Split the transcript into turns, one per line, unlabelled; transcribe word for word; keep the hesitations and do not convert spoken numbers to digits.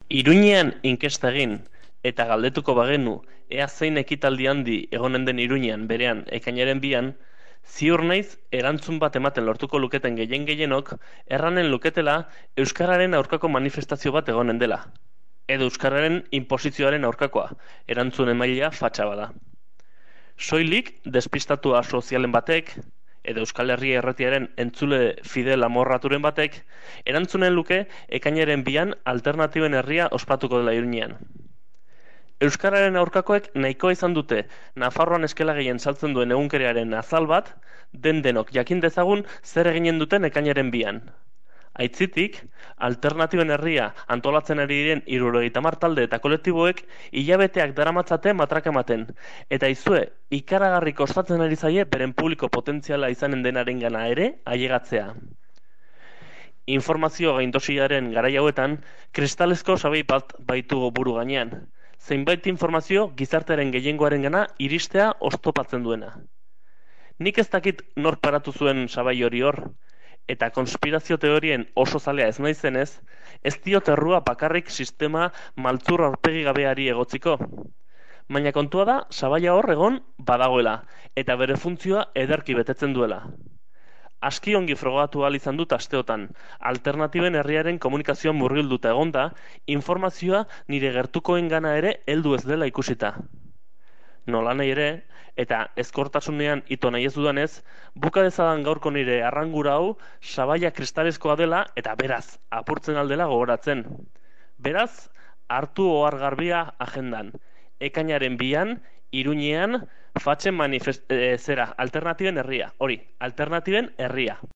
Iruñean inkesta egin eta galdetuko bagenu ea zein ekitaldi handi egonen den Iruñean berean ekainaren bian, ziur naiz erantzun bat ematen lortuko luketen gehien gehienok erranen luketela euskararen aurkako manifestazio bat egonen dela. Edo euskararen inposizioaren aurkakoa, erantzun emailea fatxa bada. Soilik despistatua sozialen batek, edo Euskal Herria Erretiaren entzule fidel amorraturen batek, erantzunen luke ekainaren bian alternatiben herria ospatuko dela Iruñean. Euskararen aurkakoek nahikoa izan dute Nafarroan eskela gehien saltzen duen egunkeriaren azal bat, den denok jakin dezagun zer eginen duten ekainaren bian. Aitzitik, alternatiben herria antolatzen ari diren hirurogeita hamar talde eta kolektiboek hilabeteak daramatzate matraka ematen, eta izue ikaragarri kostatzen ari zaie beren publiko potentziala izanen denarengana ere ailegatzea. Informazio gaindosiaren garai hauetan, kristalezko sabai bat baitugu buru gainean, zeinbait informazio gizartearen gehiengoarengana iristea oztopatzen duena. Nik ez dakit nor paratu zuen sabai hori hor, eta konspirazio teorien oso zalea ez naizenez, ez diot errua bakarrik sistema maltzur aurpegi gabeari egotziko. Baina kontua da, sabaia hor egon badagoela, eta bere funtzioa ederki betetzen duela. Aski ongi frogatu ahal izan dut asteotan, alternatiben herriaren komunikazioan murgilduta egonda, informazioa nire gertukoengana ere heldu ez dela ikusita. Nola nahi ere, eta ezkortasunean ito nahi ez dudanez, buka dezadan gaurko nire arrangura hau sabaia kristalezkoa dela eta beraz, apurtzen aldela gogoratzen. Beraz, hartu ohar garbia agendan. Ekainaren bian, Iruñean, fatxen manifest... E, zera, alternatiben herria. Hori, alternatiben herria.